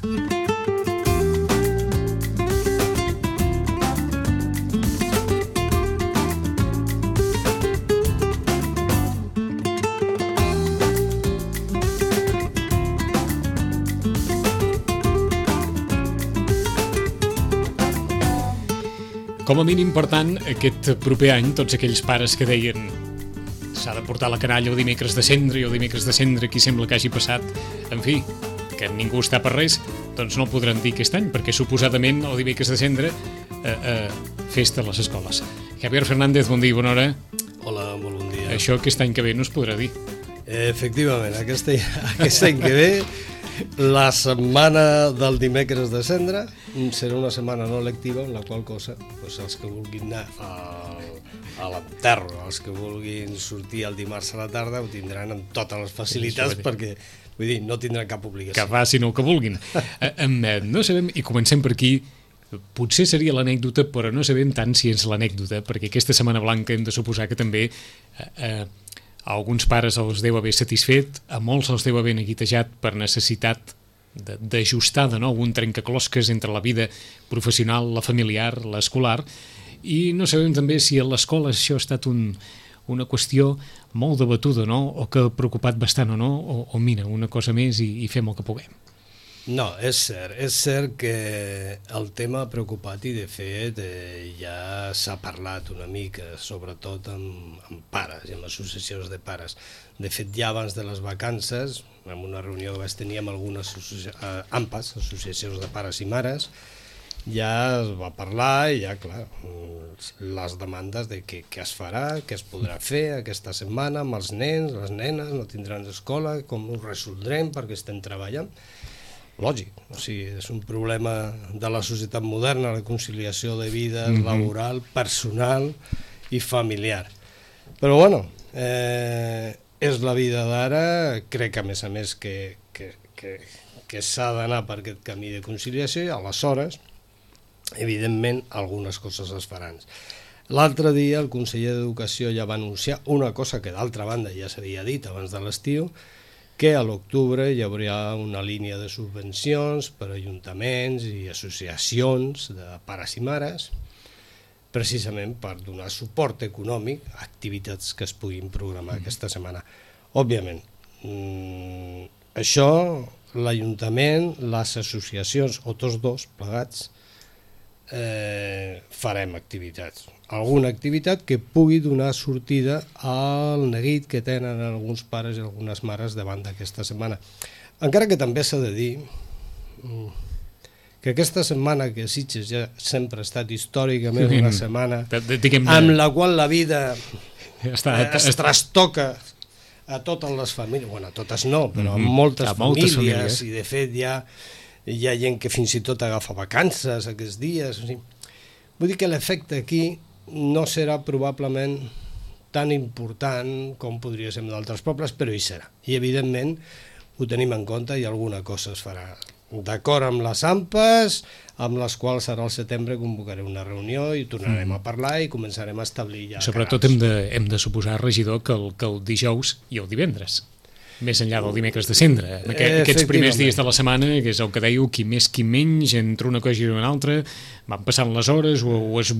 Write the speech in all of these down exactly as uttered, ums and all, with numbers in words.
Com a mínim, per tant, aquest proper any, tots aquells pares que deien s'ha de portar la canalla o dimecres de cendre i o dimecres de cendre qui sembla que hagi passat, en fi, que ningú està per res, doncs no el podran dir aquest any, perquè suposadament el dimecres de cendre eh, eh, festa a les escoles. Javier Fernández, bon dia, bona hora. Hola, molt bon dia. Això aquest any que ve no es podrà dir. Efectivament, aquest, aquest any que ve la setmana del dimecres de cendre serà una setmana no lectiva, en la qual cosa doncs els que vulguin anar al, a l'enterro, els que vulguin sortir el dimarts a la tarda ho tindran amb totes les facilitats perquè, vull dir, no tindran cap obligació. Que facin el que vulguin. eh, no sabem, i comencem per aquí, potser seria l'anècdota, però no sabem tant si és l'anècdota, perquè aquesta Setmana Blanca hem de suposar que també eh, eh, a alguns pares els deu haver satisfet, a molts els deu haver neguitejat per necessitat d'ajustar de, de nou un trencaclosques entre la vida professional, la familiar, l'escolar, i no sabem també si a l'escola això ha estat un, una qüestió molt debatuda, no? O que ha preocupat bastant o no, o, o mira, una cosa més i, i fem el que puguem. No, és cert, és cert que el tema ha preocupat i de fet eh, ja s'ha parlat una mica, sobretot amb, amb pares i amb associacions de pares. De fet, ja abans de les vacances, en una reunió que vaig tenir amb algunes associa eh, AMPAs, associacions de pares i mares, ja es va parlar i ja, clar, les demandes de què, què es farà, què es podrà fer aquesta setmana amb els nens, les nenes, no tindran escola, com ho resoldrem perquè estem treballant. Lògic, o sigui, és un problema de la societat moderna, la conciliació de vida mm-hmm. laboral, personal i familiar. Però bueno, eh, és la vida d'ara, crec a més a més que, que, que, que s'ha d'anar per aquest camí de conciliació i aleshores, evidentment, algunes coses es faran. L'altre dia el conseller d'Educació ja va anunciar una cosa que d'altra banda ja s'havia dit abans de l'estiu, que a l'octubre hi hauria una línia de subvencions per a ajuntaments i associacions de pares i mares, precisament per donar suport econòmic a activitats que es puguin programar aquesta setmana. Òbviament, mmm, això l'Ajuntament, les associacions o tots dos plegats eh, farem activitats. Alguna activitat que pugui donar sortida al neguit que tenen alguns pares i algunes mares davant d'aquesta setmana. Encara que també s'ha de dir que aquesta setmana, que Sitges ja sempre ha estat històricament una setmana amb la qual la vida es trastoca a totes les famílies, bueno, a totes no, però a moltes famílies, i de fet ja hi ha gent que fins i tot agafa vacances aquests dies. Vull dir que l'efecte aquí no serà probablement tan important com podria ser en d'altres pobles, però hi serà. I evidentment ho tenim en compte i alguna cosa es farà. D'acord amb les AMPAs, amb les quals ara al setembre convocaré una reunió i tornarem mm. a parlar i començarem a establir ja... Sobretot hem de, hem de suposar, regidor, que el, que el dijous i el divendres, més enllà del dimecres de cendre, aquest, aquests primers dies de la setmana, que és el que dèieu, qui més qui menys, entre una cosa i una altra, van passant les hores o, o es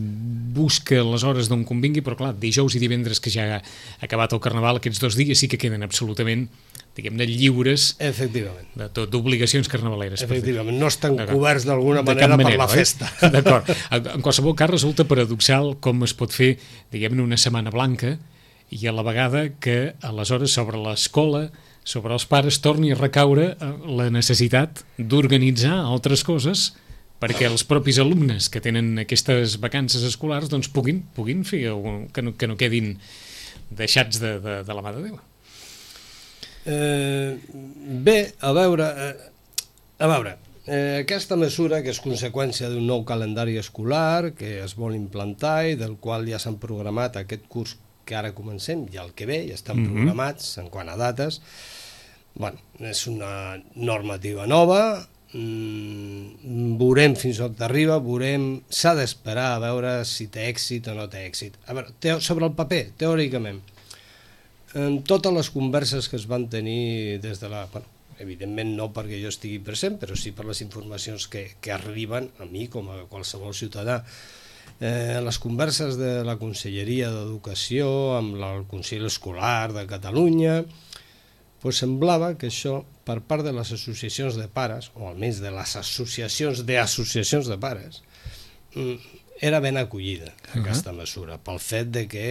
busca les hores d'on convingui, però clar, dijous i divendres que ja ha acabat el Carnaval, aquests dos dies sí que queden absolutament, diguem-ne, lliures d'obligacions carnavaleres. Efectivament, no estan coberts d'alguna manera per la festa. Eh? D'acord. En qualsevol cas resulta paradoxal com es pot fer, diguem-ne, una setmana blanca i a la vegada que aleshores sobre l'escola, sobre els pares, torni a recaure la necessitat d'organitzar altres coses perquè els propis alumnes que tenen aquestes vacances escolars doncs puguin, puguin fer que no, que no quedin deixats de, de, de la mà de Déu. Eh, bé, a veure, eh, a veure, eh, aquesta mesura que és conseqüència d'un nou calendari escolar que es vol implantar i del qual ja s'han programat aquest curs que ara comencem i el que ve, ja estan mm-hmm. programats en quant a dates. Bueno, és una normativa nova, mm, veurem fins on arriba, veurem, s'ha d'esperar a veure si té èxit o no té èxit. A veure, te, sobre el paper, teòricament, en totes les converses que es van tenir des de la, bueno, evidentment no perquè jo estigui present, però sí per les informacions que, que arriben a mi com a qualsevol ciutadà. Eh, les converses de la Conselleria d'Educació amb el Consell Escolar de Catalunya, pues semblava que això, per part de les associacions de pares, o almenys de les associacions d'associacions de pares, era ben acollida aquesta mesura, pel fet de que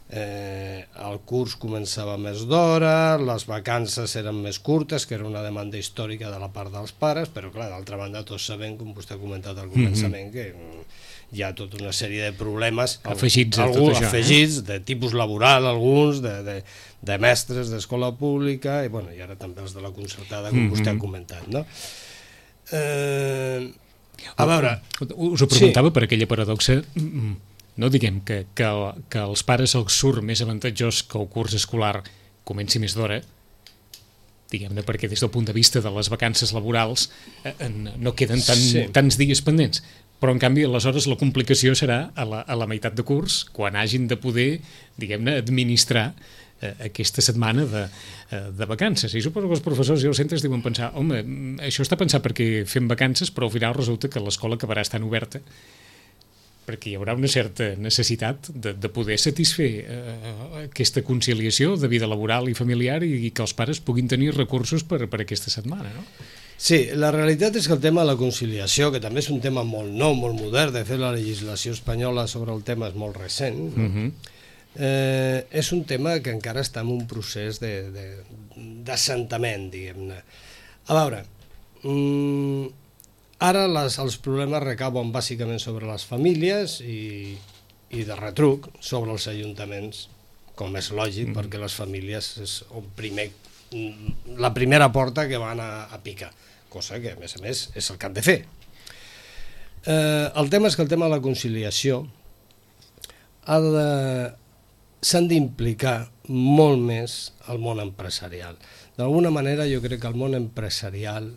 eh, el curs començava més d'hora, les vacances eren més curtes, que era una demanda històrica de la part dels pares, però clar, d'altra banda tots sabem, com vostè ha comentat al començament, que hi ha tota una sèrie de problemes afegits, alguns, això, afegits eh? de tipus laboral, alguns de, de, de mestres d'escola pública i, bueno, i ara també els de la concertada, com vostè ha comentat, no? Eh... A veure... Us ho preguntava sí. per aquella paradoxa, no diguem que, que, que als pares els surt més avantatjós que el curs escolar comenci més d'hora, diguem-ne perquè des del punt de vista de les vacances laborals eh, no queden tan, sí. tants dies pendents, però en canvi aleshores la complicació serà a la, a la meitat de curs, quan hagin de poder, diguem-ne, administrar eh, aquesta setmana de, eh, de vacances. I suposo que els professors i els centres diuen pensar, home, això està pensat perquè fem vacances, però al final resulta que l'escola acabarà estant oberta perquè hi haurà una certa necessitat de, de poder satisfer eh, aquesta conciliació de vida laboral i familiar i, i que els pares puguin tenir recursos per, per aquesta setmana, no? Sí, la realitat és que el tema de la conciliació, que també és un tema molt nou, molt modern, de fet la legislació espanyola sobre el tema és molt recent, no? Uh-huh. eh, és un tema que encara està en un procés d'assentament, diguem-ne. A veure, mm, ara les, els problemes recauen bàsicament sobre les famílies i, i de retruc sobre els ajuntaments, com és lògic, mm. perquè les famílies és el primer, la primera porta que van a, a picar, cosa que a més a més és el que han de fer. Eh, el tema és que el tema de la conciliació ha de, s'han d'implicar molt més el món empresarial. D'alguna manera jo crec que el món empresarial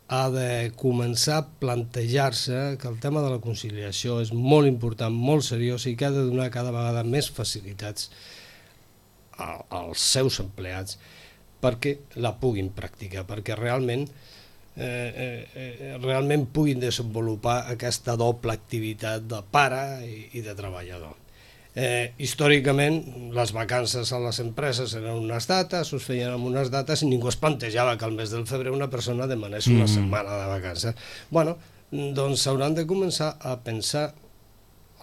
ha de començar a plantejar-se que el tema de la conciliació és molt important, molt seriós i que ha de donar cada vegada més facilitats als seus empleats perquè la puguin practicar, perquè realment, eh, eh, realment puguin desenvolupar aquesta doble activitat de pare i, i de treballador. Eh, històricament, les vacances a les empreses eren unes dates, us feien amb unes dates i ningú es plantejava que al mes del febrer una persona demanés una mm. setmana de vacances. Bueno, doncs s'hauran de començar a pensar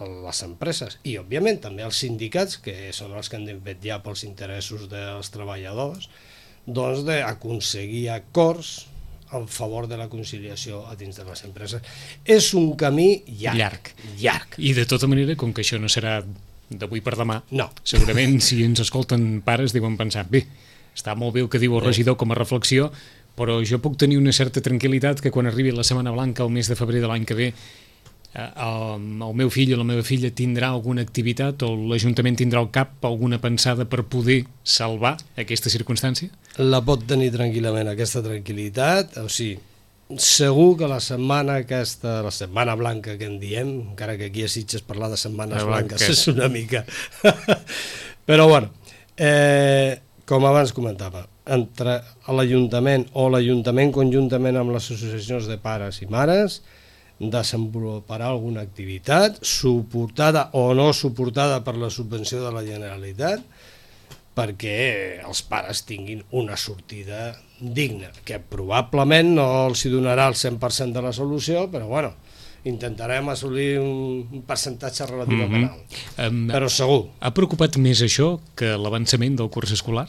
les empreses i, òbviament, també els sindicats, que són els que han de vetllar pels interessos dels treballadors, doncs d'aconseguir acords en favor de la conciliació a dins de les empreses. És un camí llarg. Llarg. llarg. I de tota manera, com que això no serà d'avui per demà, no. segurament si ens escolten pares deuen pensar, bé, està molt bé el que diu el regidor com a reflexió, però jo puc tenir una certa tranquil·litat que quan arribi la Setmana Blanca el mes de febrer de l'any que ve el, el meu fill o la meva filla tindrà alguna activitat o l'Ajuntament tindrà al cap alguna pensada per poder salvar aquesta circumstància? La pot tenir tranquil·lament, aquesta tranquil·litat, o sigui, segur que la setmana aquesta, la setmana blanca que en diem, encara que aquí a Sitges parlar de setmanes blanques és una mica però bueno, eh, com abans comentava, entre l'Ajuntament o l'Ajuntament conjuntament amb les associacions de pares i mares desenvoluparà alguna activitat suportada o no suportada per la subvenció de la Generalitat perquè els pares tinguin una sortida digna, que probablement no els hi donarà el cent per cent de la solució, però bueno, intentarem assolir un percentatge relativament alt, mm-hmm. um, però segur. Ha preocupat més això que l'avançament del curs escolar?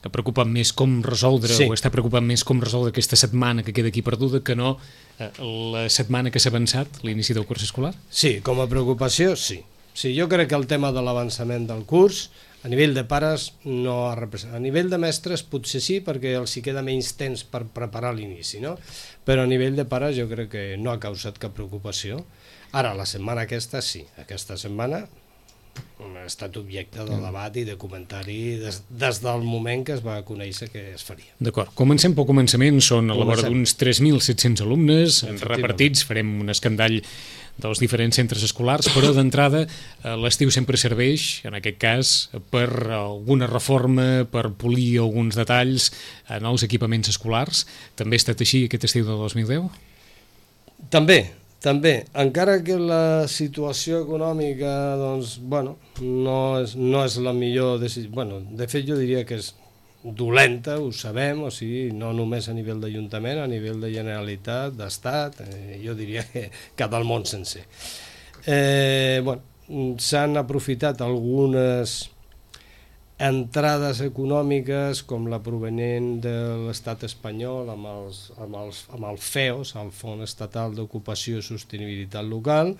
Ha preocupat més com resoldre, sí. o està preocupat més com resoldre aquesta setmana que queda aquí perduda que no eh, la setmana que s'ha avançat, l'inici del curs escolar? Sí, com a preocupació, sí. Sí, jo crec que el tema de l'avançament del curs a nivell de pares no ha representat. A nivell de mestres potser sí, perquè els hi queda menys temps per preparar l'inici, no? Però a nivell de pares jo crec que no ha causat cap preocupació. Ara, la setmana aquesta sí, aquesta setmana ha estat objecte de debat i de comentari des, des del moment que es va conèixer que es faria. D'acord. Comencem pel començament, són a la vora d'uns tres mil set-cents alumnes repartits, farem un escandall dels diferents centres escolars, però d'entrada l'estiu sempre serveix, en aquest cas, per alguna reforma, per polir alguns detalls en els equipaments escolars. També ha estat així aquest estiu del dos mil deu? També, també. Encara que la situació econòmica, doncs, bueno, no és, no és la millor decisió. Bueno, de fet, jo diria que és dolenta, ho sabem, o sigui, no només a nivell d'Ajuntament, a nivell de Generalitat, d'Estat, eh, jo diria que, que del món sencer. Eh, bueno, s'han aprofitat algunes entrades econòmiques com la provenent de l'estat espanyol amb, els, amb, els, amb el F E O S, el Fons Estatal d'Ocupació i Sostenibilitat Local,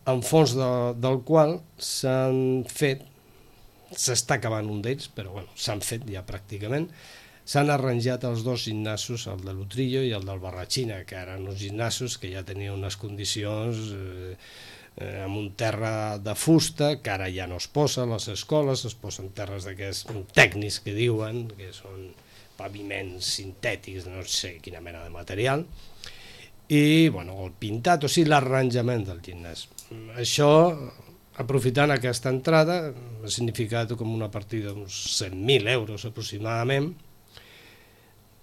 en fons de, del qual s'han fet, s'està acabant un d'ells, però bueno, s'han fet ja pràcticament, s'han arranjat els dos gimnasos, el de l'Utrillo i el del Barratxina, que eren uns gimnasos que ja tenien unes condicions eh, eh, amb un terra de fusta, que ara ja no es posa a les escoles, es posen terres d'aquests tècnics que diuen, que són paviments sintètics, no sé quina mena de material, i bueno, el pintat, o sigui, l'arranjament del gimnàs. Això, aprofitant aquesta entrada, ha significat com una partida d'uns cent mil euros aproximadament.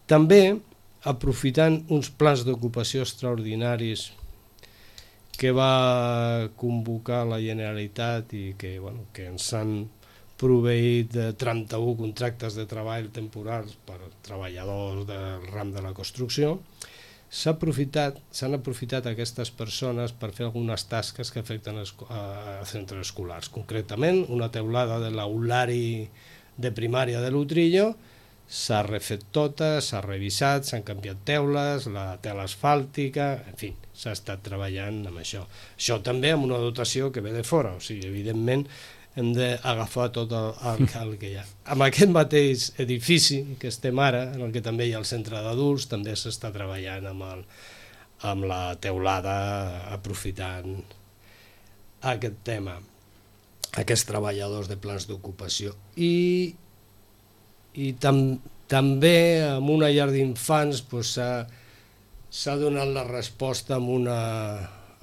També, aprofitant uns plans d'ocupació extraordinaris que va convocar la Generalitat i que, bueno, que ens han proveït de trenta-un contractes de treball temporals per treballadors del ram de la construcció, s'han aprofitat, s'han aprofitat aquestes persones per fer algunes tasques que afecten a centres escolars. Concretament, una teulada de l'aulari de primària de l'Utrillo s'ha refet tota, s'ha revisat, s'han canviat teules, la tela asfàltica, en fi, s'ha estat treballant amb això. Això també amb una dotació que ve de fora, o sigui, evidentment hem d'agafar tot el, el, el que hi ha. Amb aquest mateix edifici que estem ara, en el que també hi ha el centre d'adults, també s'està treballant amb, el, amb la teulada, aprofitant aquest tema, aquests treballadors de plans d'ocupació. I, i tam, també amb una llar d'infants pues, s'ha donat la resposta amb una...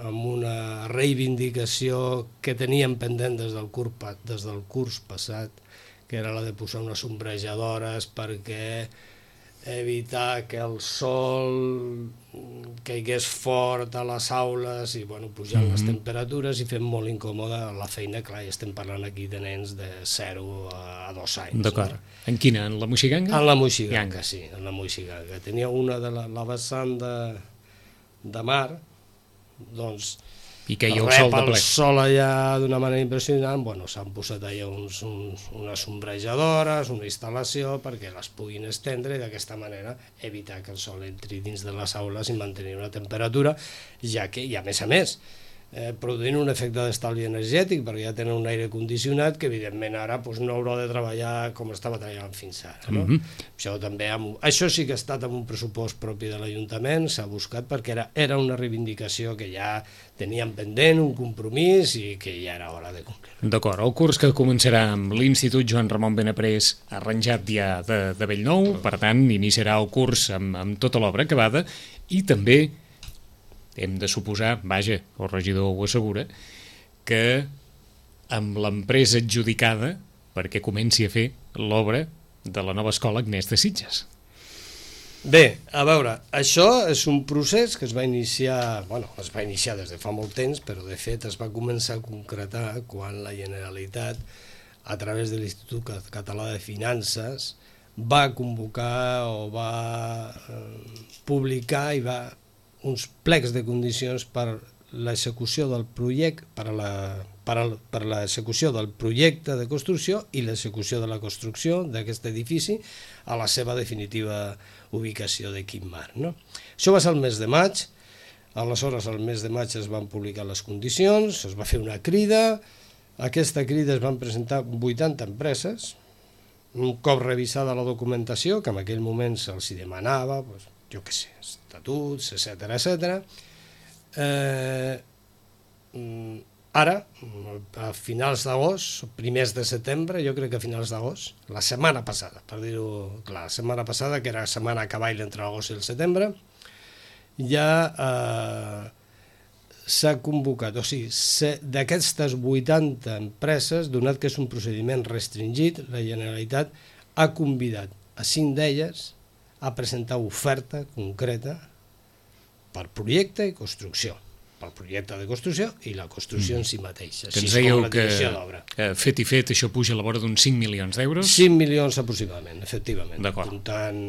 amb una reivindicació que teníem pendent des del, curs, des del curs passat, que era la de posar unes ombrejadores perquè evitar que el sol caigués fort a les aules i bueno, pujant mm-hmm. les temperatures i fent molt incòmoda la feina. Clar, estem parlant aquí de nens de zero a dos anys. D'acord. No? En quina? En la Moixiganga? En la Moixiganga, sí, en la Moixiganga. Tenia una de la, la vessant de, de mar, doncs i que hi ha el sol de ple. El sol allà d'una manera impressionant, bueno, s'han posat allà uns, uns, unes ombrejadores, una instal·lació perquè les puguin estendre i d'aquesta manera evitar que el sol entri dins de les aules i mantenir una temperatura, ja que, i a més a més, eh, produint un efecte d'estalvi energètic perquè ja tenen un aire condicionat que evidentment ara pues, no haurà de treballar com estava treballant fins ara. No? Mm-hmm. Això, també amb, això sí que ha estat amb un pressupost propi de l'Ajuntament, s'ha buscat perquè era, era una reivindicació que ja teníem pendent, un compromís i que ja era hora de complir. D'acord, el curs que començarà amb l'Institut Joan Ramon Benaprés arranjat ja de, de Bellnou, per tant iniciarà el curs amb, amb tota l'obra acabada i també hem de suposar, vaja, el regidor ho assegura, que amb l'empresa adjudicada perquè comenci a fer l'obra de la nova escola Agnès de Sitges. Bé, a veure, això és un procés que es va iniciar, bueno, es va iniciar des de fa molt temps, però de fet es va començar a concretar quan la Generalitat, a través de l'Institut Català de Finances, va convocar o va eh, publicar i va uns plecs de condicions per l'execució del projecte, per a la, per a, per a l'execució del projecte de construcció i l'execució de la construcció d'aquest edifici a la seva definitiva ubicació de Quim Mar. No? Això va ser el mes de maig, aleshores al mes de maig es van publicar les condicions, es va fer una crida, aquesta crida es van presentar vuitanta empreses, un cop revisada la documentació, que en aquell moment se'ls demanava, doncs, jo què sé, estatuts, etcètera, etcètera, eh, ara, a finals d'agost, primers de setembre, jo crec que a finals d'agost, la setmana passada, per dir-ho clar, la setmana passada, que era la setmana a cavall entre l'agost i el setembre, ja eh, s'ha convocat, o sigui, d'aquestes vuitanta empreses, donat que és un procediment restringit, la Generalitat ha convidat a cinc d'elles a presentar oferta concreta per projecte i construcció, pel projecte de construcció i la construcció mm. en si mateixa. Que ens dèieu que eh, fet i fet això puja a la vora d'uns cinc milions d'euros? cinc milions aproximadament, efectivament. D'acord. Comptant...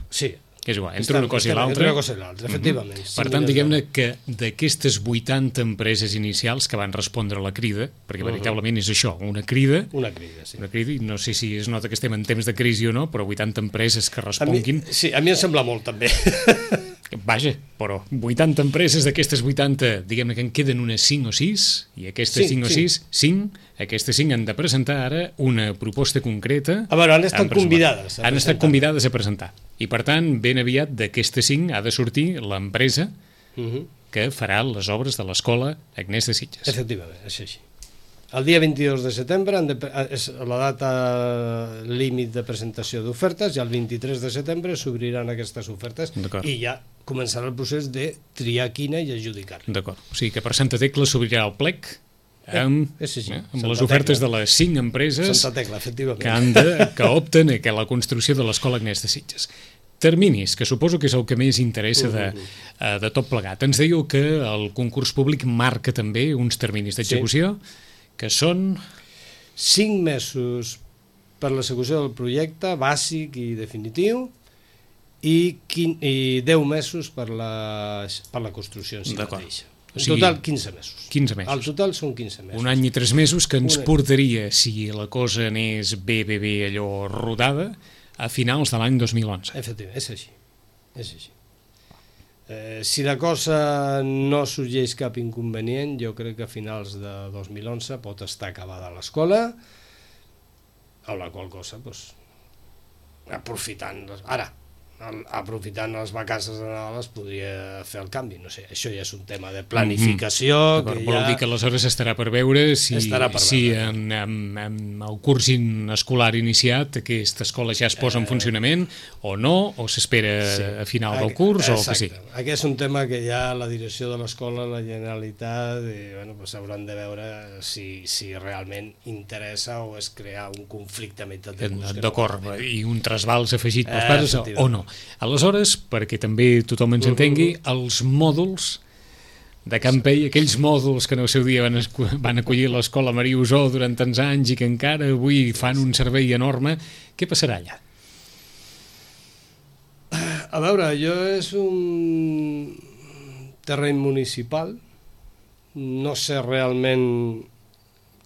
Sí. Que és igual, entre una cosa i l'altra. Entre una cosa i l'altra, efectivament. Mm-hmm. Per tant, diguem-ne que d'aquestes vuitanta empreses inicials que van respondre a la crida, perquè veritablement és això, una crida, una crida, sí. Una crida, i no sé si es nota que estem en temps de crisi o no, però vuitanta empreses que responguin... A mi, sí, a mi em sembla molt, també. Vaja, però vuitanta empreses d'aquestes vuitanta, diguem-ne que en queden unes cinc o sis, i aquestes cinc o sis, cinc, aquestes cinc han de presentar ara una proposta concreta... A veure, han estat convidades. Han estat convidades a presentar. I, per tant, ben aviat d'aquestes cinc ha de sortir l'empresa uh-huh. que farà les obres de l'escola Agnès de Sitges. Efectivament, és així. El dia vint-i-dos de setembre de, és la data límit de presentació d'ofertes i el vint-i-tres de setembre s'obriran aquestes ofertes i ja començarà el procés de triar quina i adjudicar-la. D'acord. O sigui que per Santa Tecla s'obrirà el plec amb, eh, sí, sí. eh, amb les ofertes Tecla. de les cinc empreses Tecla, que, han de, que opten a que la construcció de l'escola Agnès de Sitges. Terminis, que suposo que és el que més interessa de, uh, de tot plegat. Ens dèieu que el concurs públic marca també uns terminis d'execució, sí. que són... Cinc mesos per l'execució del projecte bàsic i definitiu i, quin, i deu mesos per la, per la construcció en si mateixa. En o sigui, total, quinze mesos. quinze mesos. Al total són quinze mesos. Un any i tres mesos que ens Una... portaria, si la cosa anés bé, bé, bé, allò rodada, a finals de l'any dos mil onze. Efectivament, és així. És així. Eh, si la cosa no sorgeix cap inconvenient, jo crec que a finals de dos mil onze pot estar acabada l'escola, amb la qual cosa, doncs, aprofitant... Ara, aprofitant les vacances de Nadal es podria fer el canvi, no sé, això ja és un tema de planificació. Mm-hmm. que Vol ja... dir que aleshores estarà per veure si, per si veure. en, en, en el curs escolar iniciat aquesta escola ja es posa en funcionament o no, o s'espera sí. a final del curs o el que sí. Aquest és un tema que ja la direcció de l'escola, la Generalitat, i, bueno, pues, hauran de veure si, si realment interessa o és crear un conflicte a meitat de curs. D'acord, no i un trasbals afegit pels pares eh, o no. Aleshores, perquè també tothom ens entengui, els mòduls de Campell, aquells mòduls que en el seu dia van, van acollir l'escola Maria Usó durant tants anys i que encara avui fan un servei enorme, què passarà allà? A veure, allò és un terreny municipal, no sé realment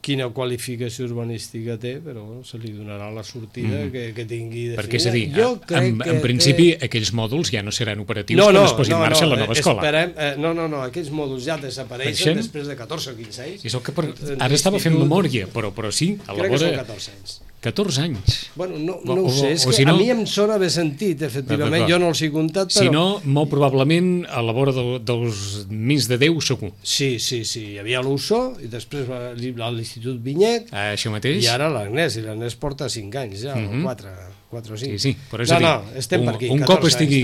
quina qualificació urbanística té, però bueno, se li donarà la sortida mm. que, que tingui definida. Perquè, és a dir, jo en, en principi té... aquells mòduls ja no seran operatius no, no, quan es posi no, en marxa no, la nova escola. Esperem, eh, no, no, no, aquells mòduls ja desapareixen després de catorze o quinze anys. És el que per... Ara estava fent memòria, però, però sí, a la Crec vora... que són catorze anys. catorze anys. Bueno, no, no ho o, sé, és o, que si no, a mi em sona haver sentit, efectivament, jo no els he comptat, però... Si no, molt probablement a la vora de, dels més de deu segur. Sí, sí, sí, hi havia l'Uso, i després l'Institut Vinyet, ah, això mateix. I ara l'Agnès, i l'Agnès porta cinc anys ja, mm-hmm. o quatre, quatre o cinc. Sí, sí, però és no, a dir, no, estem un, per aquí, un, cop anys, estigui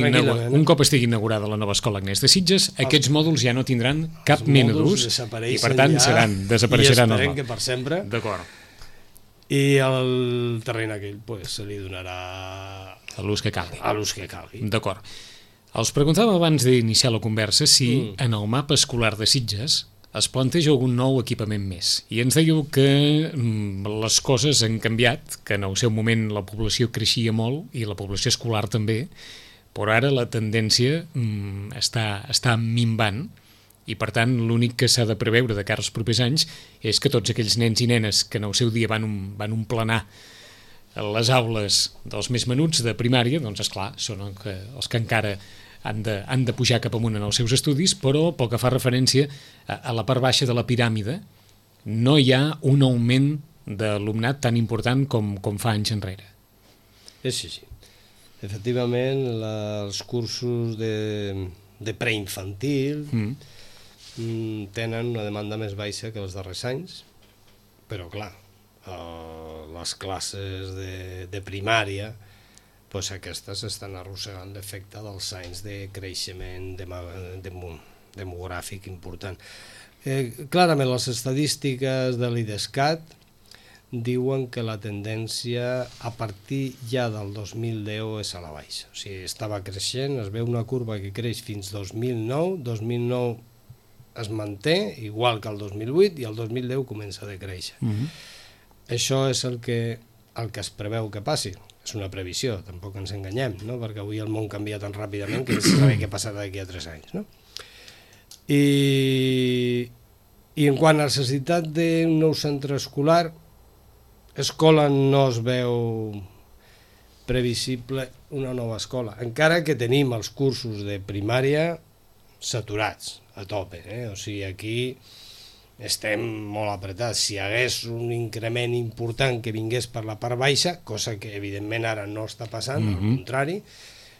un cop estigui inaugurada la nova escola Agnès de Sitges, els, aquests mòduls ja no tindran cap mena d'ús i per tant ja, seran, desapareixeran. I esperem que per sempre. D'acord. I el terreny aquell pues, se li donarà a l'ús que calgui. A l'ús que calgui. D'acord. Els preguntava abans d'iniciar la conversa si mm. en el mapa escolar de Sitges es planteja algun nou equipament més. I ens dèieu que mm, les coses han canviat, que en el seu moment la població creixia molt i la població escolar també, però ara la tendència mm, està, està minvant. I, per tant, l'únic que s'ha de preveure de cara als propers anys és que tots aquells nens i nenes que en el seu dia van, un, van omplenar les aules dels més menuts de primària, doncs, esclar, són els que, els que encara han de, han de pujar cap amunt en els seus estudis, però pel que fa referència a, a la part baixa de la piràmide no hi ha un augment d'alumnat tan important com, com fa anys enrere. És així. Efectivament, la, els cursos de, de preinfantil... Mm. mm, tenen una demanda més baixa que els darrers anys, però clar, eh, les classes de, de primària, pues aquestes estan arrossegant l'efecte dels anys de creixement dema, dem, demogràfic important. Eh, clarament, les estadístiques de l'IDESCAT diuen que la tendència a partir ja del dos mil deu és a la baixa. O sigui, estava creixent, es veu una curva que creix fins dos mil nou, dos mil nou es manté, igual que el dos mil vuit, i el dos mil deu comença a decréixer. Mm-hmm. Això és el que, el que es preveu que passi. És una previsió, tampoc ens enganyem, no? Perquè avui el món canvia tan ràpidament que no se sabe què passarà d'aquí a tres anys. No? I, I en quant a necessitat d'un nou centre escolar, escola no es veu previsible una nova escola, encara que tenim els cursos de primària saturats a tope, eh? O sigui, aquí estem molt apretats. Si hi hagués un increment important que vingués per la part baixa, cosa que evidentment ara no està passant, mm-hmm. al contrari,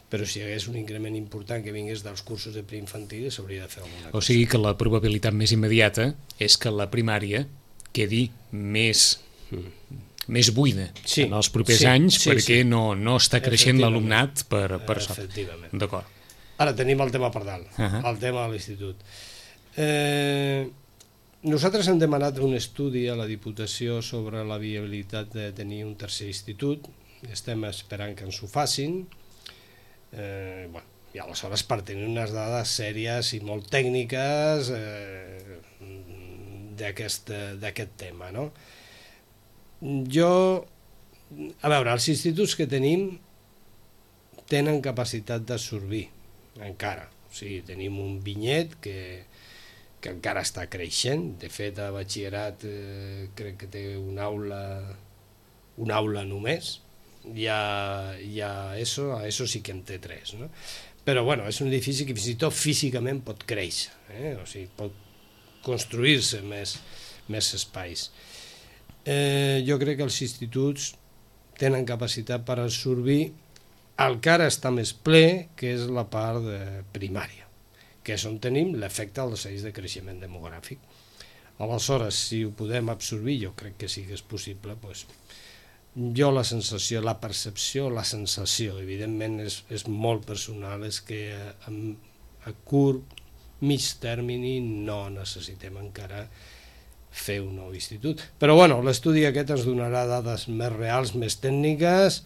però si hi hagués un increment important que vingués dels cursos de preinfantil s'hauria de fer alguna cosa. O sigui que la probabilitat més immediata és que la primària quedi més... Mm. més buida sí, en els propers sí, anys sí, perquè sí. No, no està creixent l'alumnat per, per sota. Efectivament. D'acord. Ara tenim el tema per dalt, uh-huh. el tema de l'institut. Eh, nosaltres hem demanat un estudi a la Diputació sobre la viabilitat de tenir un tercer institut, estem esperant que ens ho facin, eh, bueno, i aleshores per tenir unes dades sèries i molt tècniques eh, d'aquest tema, no? Jo, a veure, els instituts que tenim tenen capacitat d'absorbir, encara. O sigui, tenim un vinyet que, que encara està creixent. De fet, a batxillerat eh, crec que té una aula, una aula només. Ja, ja ESO, a ESO sí que en té tres, no? Però, bueno, és un edifici que fins i tot físicament pot créixer, eh? O sigui, pot construir-se més, més espais. Eh, jo crec que els instituts tenen capacitat per absorbir el que ara està més ple, que és la part de primària, que és on tenim l'efecte dels anys de creixement demogràfic. Aleshores, si ho podem absorbir, jo crec que sí que és possible, doncs, jo la sensació, la percepció, la sensació, evidentment és, és molt personal, és que a, a curt, mig termini no necessitem encara fer un nou institut. Però bueno, l'estudi aquest ens donarà dades més reals, més tècniques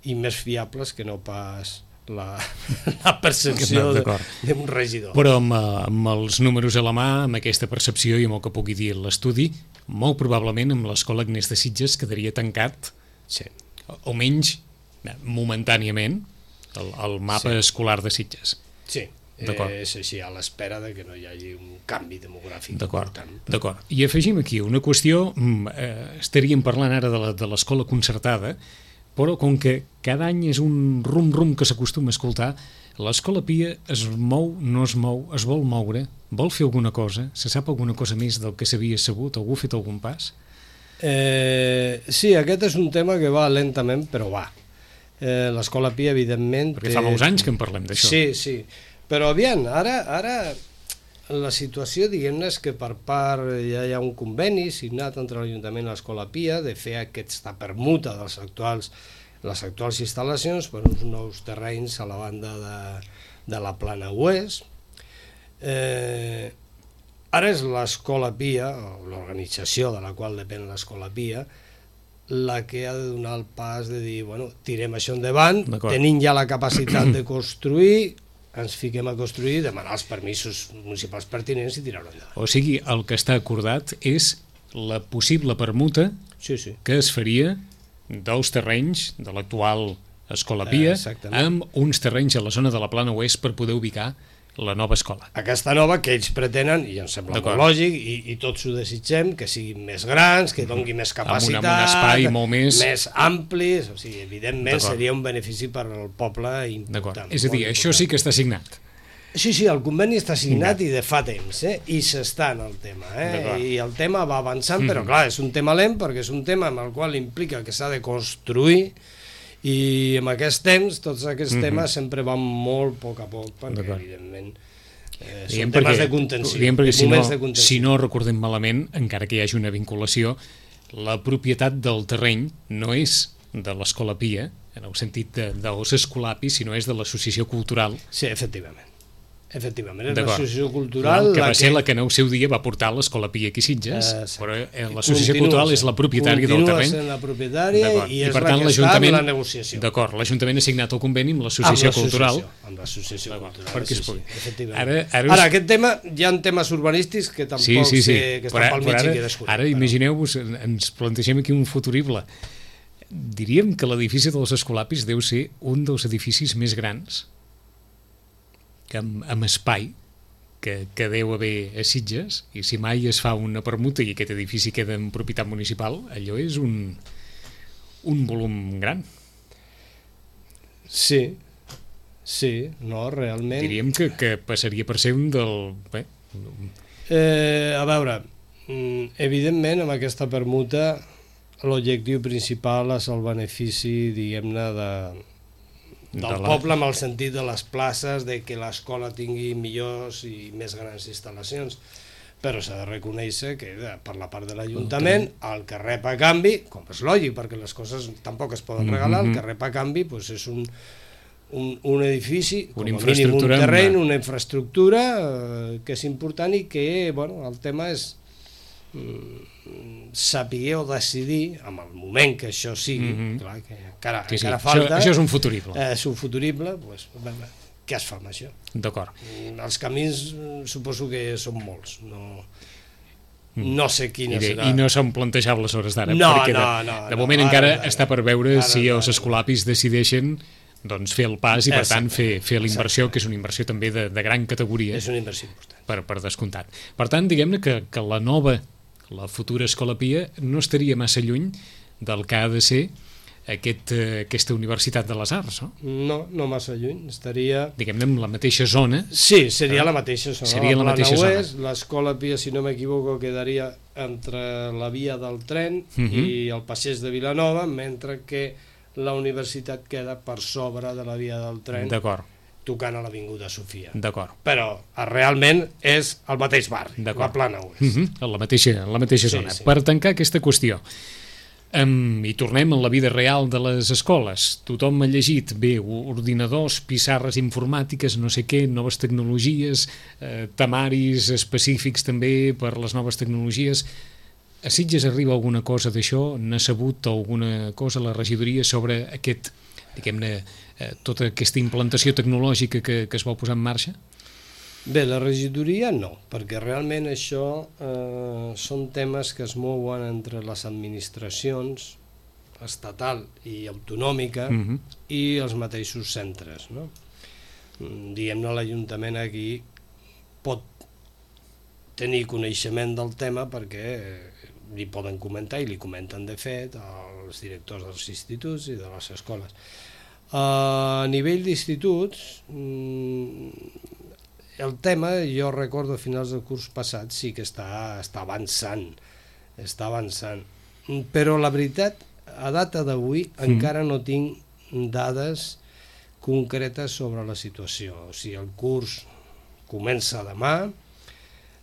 i més fiables que no pas la, la percepció d'un regidor. Però amb, amb els números a la mà, amb aquesta percepció i amb el que pugui dir l'estudi, molt probablement amb l'Escola Agnès de Sitges quedaria tancat, sí. almenys momentàniament, el, el mapa sí. escolar de Sitges. Sí. Eh, és així, a l'espera de que no hi hagi un canvi demogràfic important. D'acord. I afegim aquí una qüestió, eh, estaríem parlant ara de l'escola concertada, però com que cada any és un rum-rum que s'acostuma a escoltar, l'escola Pia es mou, no es mou, es vol moure, vol fer alguna cosa, se sap alguna cosa més del que s'havia sabut, algú ha fet algun pas? Eh, sí, aquest és un tema que va lentament, però va. Eh, l'escola Pia, evidentment... Perquè té... fa molts anys que en parlem d'això. Sí, sí. Però aviam, ara, ara la situació, diguem-ne, és que per part ja hi ha un conveni signat entre l'Ajuntament i l'Escola Pia de fer aquesta permuta dels actuals, les actuals instal·lacions per uns nous terrenys a la banda de, de la Plana Oest. Eh, ara és l'Escola Pia, o l'organització de la qual depèn l'Escola Pia, la que ha de donar el pas de dir, bueno, tirem això endavant, tenim ja la capacitat de construir, ens fiquem a construir, demanar els permisos municipals pertinents i tirar-ho endavant. O sigui, el que està acordat és la possible permuta sí, sí. que es faria dels terrenys de l'actual Escola Pia eh, amb uns terrenys a la zona de la Plana Oest per poder ubicar la nova escola. Aquesta nova que ells pretenen, i em sembla molt lògic, i, i tots ho desitgem, que siguin més grans, que doni més capacitat, amb un, amb un espai molt més... més amplis, o sigui, evidentment seria un benefici per al poble important. És a dir, això sí que està signat. Sí, sí, el conveni està signat i de fa temps, eh? I s'està en el tema, eh? I el tema va avançant, mm-hmm. però clar, és un tema lent perquè és un tema amb el qual implica que s'ha de construir, i en aquest temps, tots aquests mm-hmm. temes sempre van molt a poc a poc, perquè evidentment Eh, són temes de contenció, perquè si no, de contenció. Si no recordem malament, encara que hi hagi una vinculació, la propietat del terreny no és de l'Escola Pia, en el sentit de, dels escolapis, sinó és de l'Associació Cultural. Sí, efectivament. Efectivament, és l'Associació Cultural... Que va la ser que... la que en el seu dia va portar l'Escola Pia aquí a Sitges, uh, sí. Però l'Associació Cultural és la propietària del terreny. Continua sent la propietària i és I, per la tant, que està en la negociació. D'acord, l'Ajuntament ha signat el conveni amb l'Associació Cultural. Amb l'Associació Cultural, perquè sí, sí, efectivament. Ara, ara, ara, aquest tema, hi ha temes urbanístics que tampoc sí, sí, sí. sé que estan pel mig i que descobrim. Ara, imagineu-vos, ens plantegem aquí un futurible. Diríem que l'edifici dels Escolapis deu ser un dels edificis més grans que amb, amb espai que, que deu haver a Sitges, i si mai es fa una permuta i aquest edifici queda en propietat municipal, allò és un, un volum gran. Sí, sí, no, realment... Diríem que, que passaria per ser un del... Bé, eh, a veure, evidentment amb aquesta permuta l'objectiu principal és el benefici, diguem-ne, de... del de la... poble, amb el sentit de les places, de que l'escola tingui millors i més grans instal·lacions, però s'ha de reconèixer que per la part de l'Ajuntament el que rep a canvi, com és lògic perquè les coses tampoc es poden regalar, el que rep a canvi doncs és un, un, un edifici, com a mínim un terreny, una infraestructura eh, que és important i que, bueno, el tema és saber o decidir en el moment que això sigui, mm -hmm. clar, que encara, sí, sí. encara falta, això, això és un futurible, eh, és un futurible, pues, què es fa amb això? D'acord. Els camins suposo que són molts, no, no sé quina I de, serà. I no són plantejables hores d'ara, no, perquè de, no, no, de moment no, encara ara, està per veure ara, si ara, els escolapis decideixen doncs, fer el pas i per tant fer, fer l'inversió, que és una inversió també de, de gran categoria. És una inversió important. Per, per descomptat. Per tant, diguem-ne que, que la nova la futura Escola Pia no estaria massa lluny del que ha de ser aquest, eh, aquesta Universitat de les Arts, no? No, no massa lluny, estaria... Diguem-ne, en la mateixa zona. Sí, seria la mateixa zona. Seria la, la mateixa Oest, zona. L'Escola Pia, si no m'equivoco, quedaria entre la via del tren uh-huh. i el passeig de Vilanova, mentre que la universitat queda per sobre de la via del tren. D'acord. Tocant a l'Avinguda Sofia. D'acord. Però realment és el mateix barri, la Plana Oest. Uh -huh. La mateixa, la mateixa sí, zona. Sí. Per tancar aquesta qüestió, um, i tornem a la vida real de les escoles. Tothom ha llegit, bé, ordinadors, pissarres informàtiques, no sé què, noves tecnologies, eh, temaris específics també per les noves tecnologies. A Sitges arriba alguna cosa d'això? N'ha sabut alguna cosa la regidoria sobre aquest, diguem-ne, eh, tota aquesta implantació tecnològica que, que es va posar en marxa? Bé, la regidoria no, perquè realment això eh, són temes que es mouen entre les administracions estatal i autonòmica uh-huh. i els mateixos centres, no? Diguem-ne, l'Ajuntament aquí pot tenir coneixement del tema perquè li poden comentar, i li comenten de fet els directors dels instituts i de les escoles. A nivell d'instituts, el tema, jo recordo a finals del curs passat, sí que està, està avançant, està avançant, però la veritat, a data d'avui, mm. encara no tinc dades concretes sobre la situació. O sigui, el curs comença demà,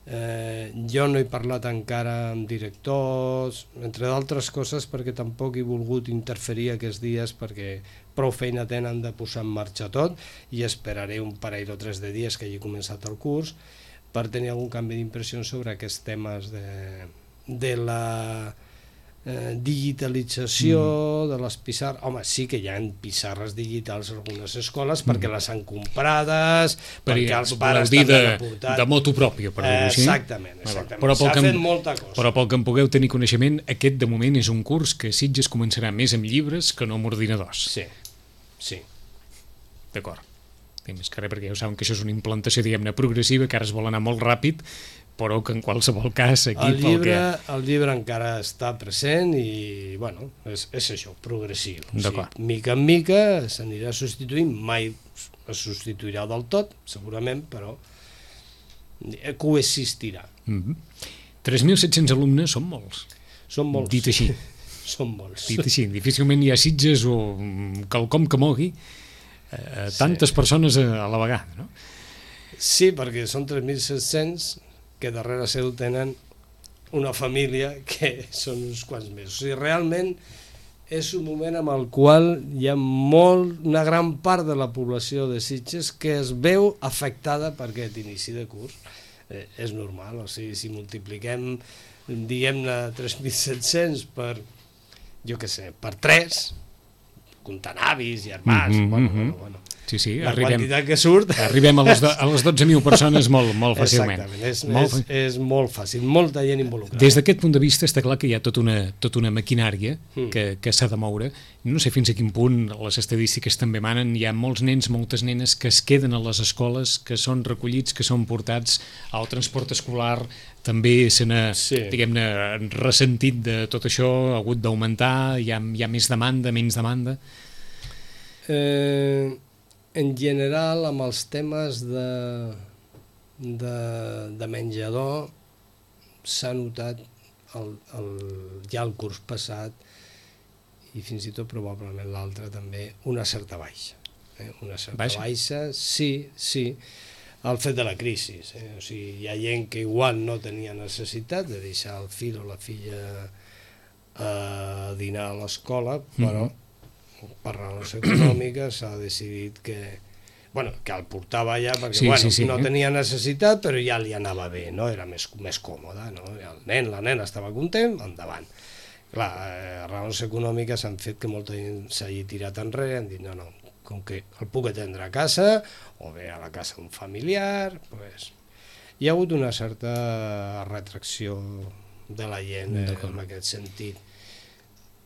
Eh, jo no he parlat encara amb directors, entre d'altres coses perquè tampoc he volgut interferir aquests dies perquè prou feina tenen de posar en marxa tot, i esperaré un parell o tres de dies que hagi començat el curs per tenir algun canvi d'impressió sobre aquests temes de, de la eh, digitalització mm. de les pissarres. Home, sí que hi ha pissarres digitals a algunes escoles mm. perquè les han comprades, per perquè els pares també de, han aportat. De moto pròpia, per dir-ho així. Exactament, exactament. Però s'ha fet molta cosa. Però pel que en pugueu tenir coneixement, aquest de moment és un curs que Sitges començarà més amb llibres que no amb ordinadors. Sí, sí. D'acord. Més que res, perquè ja ho saben que això és una implantació, diguem-ne, progressiva, que ara es vol anar molt ràpid, però que en qualsevol cas aquí el llibre, pel que... el llibre encara està present i, bueno, és, és això, progressiu. O sigui, mica en mica s'anirà substituint, mai es substituirà del tot, segurament, però coexistirà. Mm-hmm. tres mil set-cents alumnes són molts. Són molts. Dit així. Són molts. Dit així. Difícilment hi ha Sitges o quelcom que mogui eh, tantes sí. persones a, a la vegada, no? Sí, perquè són tres mil set-cents que darrere seu tenen una família que són uns quants mesos. O sigui, realment és un moment amb el qual hi ha molt, una gran part de la població de Sitges que es veu afectada per aquest inici de curs. Eh, és normal, o sigui, si multipliquem, diguem-ne, tres mil set-cents per, jo què sé, per tres, comptant avis, germans, mm -hmm, bueno, bueno, bueno. Sí, sí, la arribem, quantitat que surt... Arribem a les, do, a les dotze mil persones molt, molt fàcilment. Exactament, és molt, és, és molt fàcil, molta gent involucrada. Des d'aquest punt de vista està clar que hi ha tota una, tota una maquinària mm. que, que s'ha de moure. No sé fins a quin punt les estadístiques també manen. Hi ha molts nens, moltes nenes que es queden a les escoles, que són recollits, que són portats al transport escolar. També se n'ha, sí. diguem-ne, ressentit de tot això, ha hagut d'augmentar, hi ha, hi ha més demanda, menys demanda. Eh... En general, amb els temes de, de, de menjador, s'ha notat el, el, ja el curs passat, i fins i tot probablement l'altre també, una certa baixa. Eh? Una certa baixa. baixa, sí, sí, el fet de la crisi. Eh? O sigui, hi ha gent que igual no tenia necessitat de deixar el fill o la filla a dinar a l'escola, però... Mm-hmm. per raons econòmiques s'ha decidit que, bueno, que el portava allà perquè sí, bueno, sí, sí, no eh? tenia necessitat, però ja li anava bé, no? Era més, més còmode, no? El nen, la nena estava content, endavant. Clar, eh, raons econòmiques han fet que molta gent s'hagi tirat enrere, han dit no, no, com que el puc atendre a casa o bé a la casa d'un familiar, pues, hi ha hagut una certa retracció de la gent eh, en aquest sentit.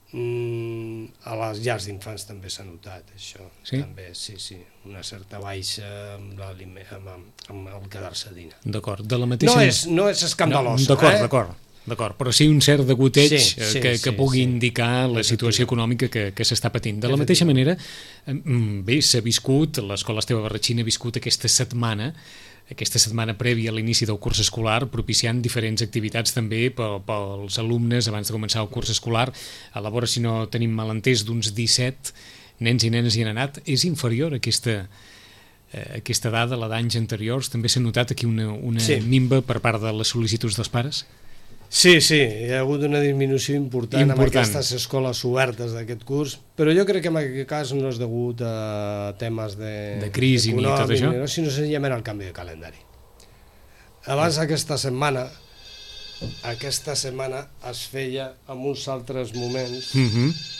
Mm, a les llars d'infants també s'ha notat això, sí? també, sí, sí, una certa baixa amb, amb, amb el quedar-se a dinar. D'acord, de la mateixa... No és, no és escandalós, no, d'acord, eh? D'acord, d'acord, però sí un cert degoteig sí, sí, que, que sí, pugui sí. indicar la situació econòmica que, que s'està patint. De la mateixa manera, bé, s'ha viscut, l'Escola Esteve Barratxina ha viscut aquesta setmana aquesta setmana prèvia a l'inici del curs escolar, propiciant diferents activitats també pels alumnes abans de començar el curs escolar. A la vora, si no tenim malentès, d'uns disset nens i nenes hi han anat. És inferior aquesta, eh, aquesta dada, la d'anys anteriors? També s'ha notat aquí una, una sí. minva per part de les sol·licituds dels pares? Sí, sí, hi ha hagut una disminució important, important. amb aquestes escoles obertes d'aquest curs, però jo crec que en aquest cas no és degut a temes de, de crisi ni tot això, no, sinó senzillament al canvi de calendari. Abans aquesta setmana, aquesta setmana es feia en uns altres moments. Mm-hmm.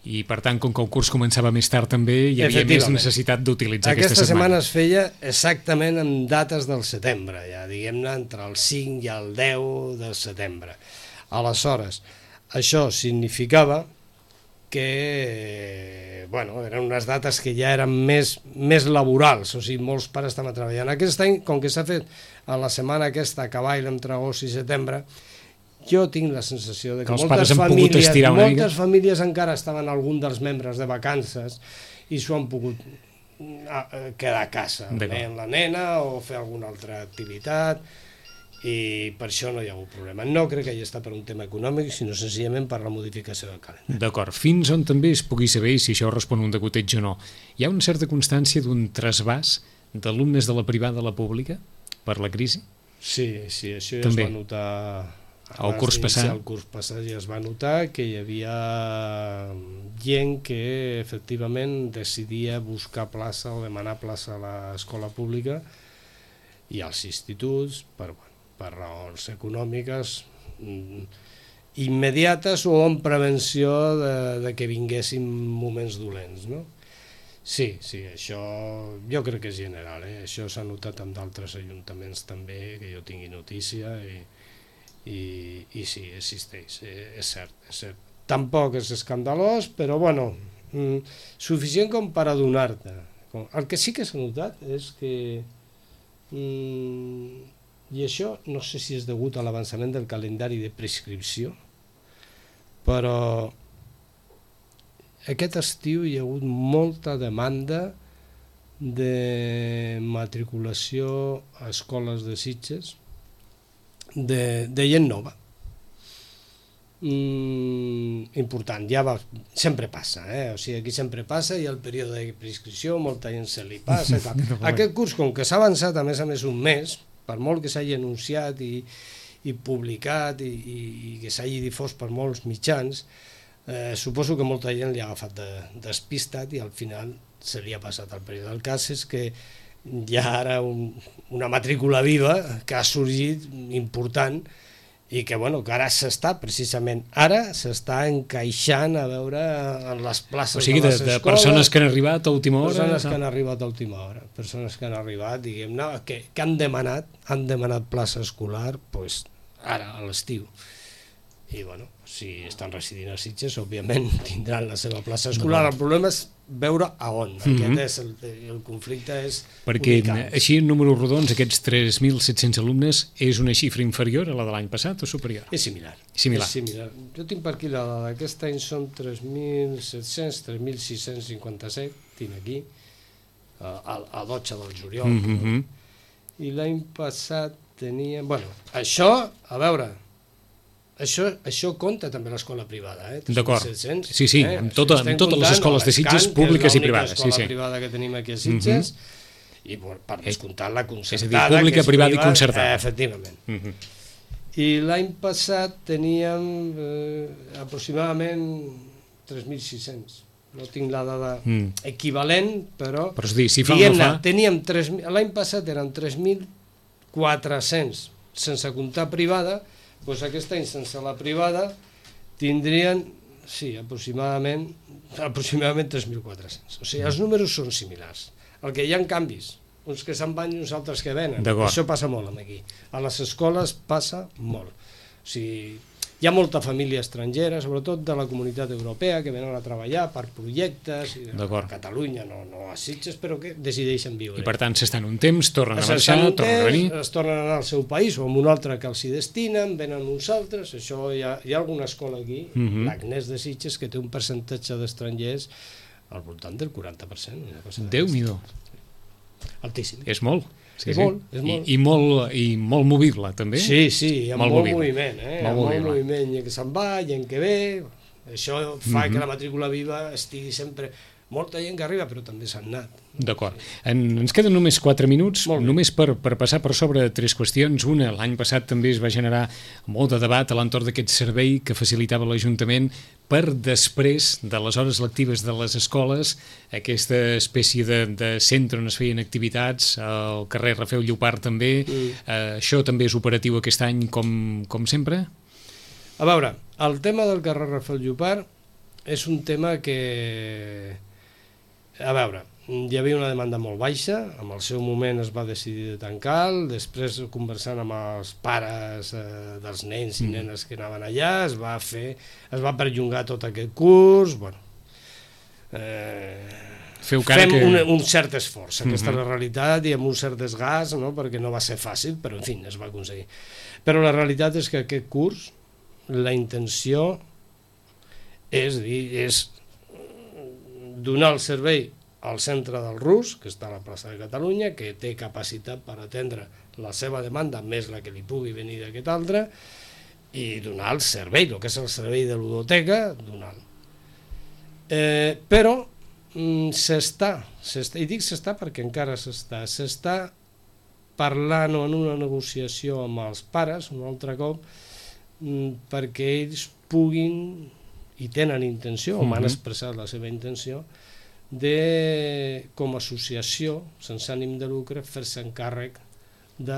I per tant, com que el curs començava més tard també, hi havia més necessitat d'utilitzar aquesta, aquesta setmana. Aquesta setmana es feia exactament en dates del setembre, ja diguem-ne entre el cinc i el deu de setembre. Aleshores, això significava que, bueno, eren unes dates que ja eren més, més laborals, o sigui, molts pares estaven treballant. Aquest any, com que s'ha fet a la setmana aquesta a cavall entre agost i setembre, jo tinc la sensació de que, que moltes, famílies, moltes famílies encara estaven algun dels membres de vacances i s'ho han pogut quedar a casa, amb la nena o fer alguna altra activitat, i per això no hi ha hagut problema. No crec que hi està per un tema econòmic, sinó senzillament per la modificació del calendari. D'acord. Fins on també es pugui saber si això respon a un degoteig o no. Hi ha una certa constància d'un trasbàs d'alumnes de la privada a la pública per la crisi? Sí, sí, això ja també es va notar... El curs passat. El curs passat ja es va notar que hi havia gent que efectivament decidia buscar plaça o demanar plaça a l'escola pública i als instituts per, per raons econòmiques immediates o en prevenció de, de que vinguessin moments dolents, no? Sí, sí, això jo crec que és general, eh? Això s'ha notat en d'altres ajuntaments també, que jo tingui notícia i I, i sí, existeix, és cert, és cert. Tampoc és escandalós, però bueno, mm, suficient com per adonar-te. El que sí que s'ha notat és que, mm, i això no sé si és degut a l'avançament del calendari de prescripció, però aquest estiu hi ha hagut molta demanda de matriculació a escoles de Sitges, De, de gent nova. mm, important. Ja va, sempre passa, eh? O sigui, aquí sempre passa, hi ha el període de prescripció, molta gent se li passa i tal. Aquest curs, com que s'ha avançat a més a més un mes, per molt que s'hagi anunciat i, i publicat i, i, i que s'hagi difós per molts mitjans, eh, suposo que molta gent li ha agafat de, despistat i al final se li ha passat el període. El cas és que hi ha ara un, una matrícula viva que ha sorgit important i que, bueno, que ara s'està, precisament ara, s'està encaixant a veure en les places o sigui, de les de, escoles. De persones que han arribat a última hora. Persones no? que han arribat a última hora, persones que han arribat, diguem-ne, que, que han demanat, han demanat plaça escolar, doncs, ara, a l'estiu. I, bueno, si estan residint a Sitges, òbviament tindran la seva plaça escolar. El problema és veure a on. Aquest mm-hmm. és el, el conflicte és perquè unical. Així en números rodons aquests tres mil set-cents alumnes és una xifra inferior a la de l'any passat o superior? És similar. Similar. És similar. Jo tinc per aquí la dada d'aquest any són tres mil set-cents, tres mil sis-cents cinquanta-set, tinc aquí, a, a dotze del juliol. Mm-hmm. I l'any passat teníem... Bueno, això, a veure... Això, això compta també l'escola privada, eh? D'acord, sí, sí, eh? amb, tota, amb totes les escoles de Sitges públiques i privades. És l'única escola sí, sí. privada que tenim aquí a Sitges, mm-hmm. i per, per descomptar la concertada. És a dir, pública, privada i concertada. Eh, efectivament. Mm-hmm. I l'any passat teníem eh, aproximadament tres mil sis-cents. No tinc la dada mm. equivalent, però... Però és dir, si fa o no fa... Teníem l'any passat eren tres mil quatre-cents, sense comptar privada. Doncs aquest any, sense la privada, tindrien, sí, aproximadament, aproximadament tres mil quatre-cents. O sigui, els números són similars. El que hi ha canvis, uns que se'n van i uns altres que venen. Això passa molt aquí. A les escoles passa molt. O sigui, hi ha molta família estrangera, sobretot de la comunitat europea, que venen a treballar per projectes, a Catalunya, no, no a Sitges, però que decideixen viure. I per tant s'estan un temps, tornen a marxar, tornen a venir... Es tornen a anar al seu país o a un altre que els hi destinen, venen uns altres, això hi ha, hi ha alguna escola aquí, mm-hmm. l'Agnès de Sitges, que té un percentatge d'estrangers al voltant del quaranta per cent. Déu-n'hi-do. Altíssim. És molt. Sí, és sí. molt, és molt. I, i, molt, I molt movible, també? Sí, sí, hi ha molt, molt moviment, eh? Molt, molt moviment, hi ha que se'n va, hi ha que ve, això fa mm-hmm. que la matrícula viva estigui sempre... Molta gent que arriba, però també s'han anat. D'acord. En, ens queden només quatre minuts, només per, per passar per sobre tres qüestions. Una, l'any passat també es va generar molt de debat a l'entorn d'aquest servei que facilitava l'Ajuntament per després de les hores lectives de les escoles, aquesta espècie de, de centre on es feien activitats, al carrer Rafel Llopart també. Mm. Eh, això també és operatiu aquest any com, com sempre? A veure, el tema del carrer Rafel Llopart és un tema que... A veure, hi havia una demanda molt baixa, en el seu moment es va decidir de tancar, després conversant amb els pares eh, dels nens i nenes que anaven allà, es va fer, es va perllongar tot aquest curs, bueno... Eh, Feu cara fem que... un, un cert esforç, aquesta uh-huh. és la realitat, i amb un cert desgast, no? Perquè no va ser fàcil, però en fi, es va aconseguir. Però la realitat és que aquest curs, la intenció és dir, és donar el servei al centre del Rus, que està a la plaça de Catalunya, que té capacitat per atendre la seva demanda, més la que li pugui venir d'aquest altre, i donar el servei, el que és el servei de ludoteca, donar-lo. Eh, però mm, s'està, s'està, i dic s'està perquè encara s'està, s'està parlant en una negociació amb els pares, un altre cop, mm, perquè ells puguin, i tenen intenció, o m'han expressat la seva intenció, de, com a associació, sense ànim de lucre, fer-se encàrrec de,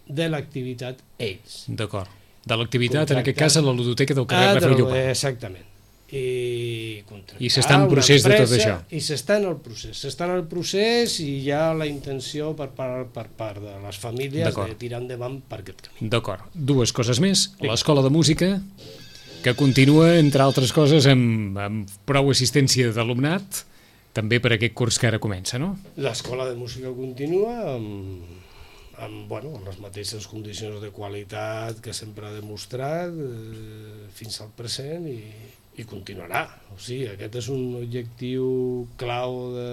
de l'activitat ells. D'acord. De l'activitat, en aquest cas, a la ludoteca del carrer Rafel Llopart. Exactament. I, I s'està en procés de tot això. I s'està en el procés. S'està en el procés i hi ha la intenció per part, per part de les famílies de tirar endavant per aquest camí. D'acord. Dues coses més. L'escola de música, que continua, entre altres coses, amb, amb prou assistència d'alumnat, també per aquest curs que ara comença, no? L'escola de música continua amb, amb, bueno, amb les mateixes condicions de qualitat que sempre ha demostrat eh, fins al present i, i continuarà. O sigui, aquest és un objectiu clau de,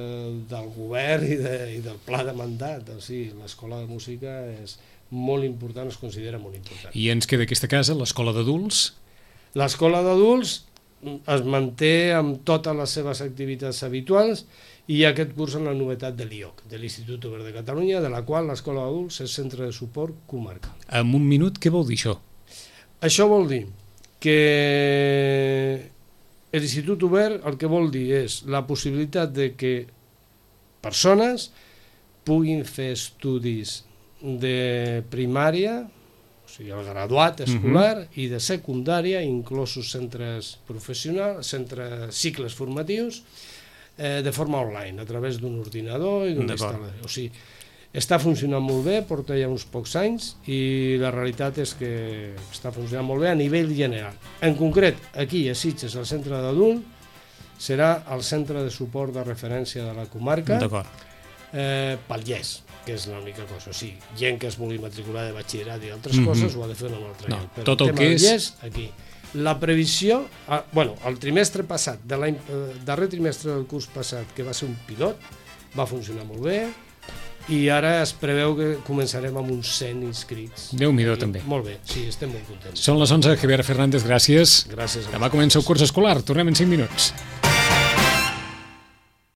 del govern i, de, i del pla de mandat. O sigui, l'escola de música és molt important, es considera molt important. I ens queda aquesta casa, l'escola d'adults? L'escola d'adults es manté amb totes les seves activitats habituals i hi ha aquest curs en la novetat de l'I O C, de l'Institut Obert de Catalunya, de la qual l'escola d'adults és centre de suport comarcal. En un minut, què vol dir això? Això vol dir que l'Institut Obert el que vol dir és la possibilitat de que persones puguin fer estudis de primària, o sigui, el graduat escolar, uh-huh. i de secundària, inclosos centres professionals, centres, cicles formatius, eh, de forma online, a través d'un ordinador i d'un instal·lador. O sigui, està funcionant molt bé, porta ja uns pocs anys, i la realitat és que està funcionant molt bé a nivell general. En concret, aquí a Sitges, el centre d'adult, serà el centre de suport de referència de la comarca, eh, pel Lles, que és l'única cosa. O sigui, gent que es vulgui matricular de batxillerat i altres mm-hmm. coses ho ha de fer en un altre no, lloc. Però tot el, el tema que del és... Lles, aquí. La previsió, ah, bueno, el trimestre passat, de l'any, eh, darrer trimestre del curs passat, que va ser un pilot, va funcionar molt bé, i ara es preveu que començarem amb uns cent inscrits. Déu-n'hi-do, també. Molt bé, sí, estem molt contents. Són les onze, Javier Fernández, gràcies. Gràcies. Demà comença el curs escolar, tornem en cinc minuts.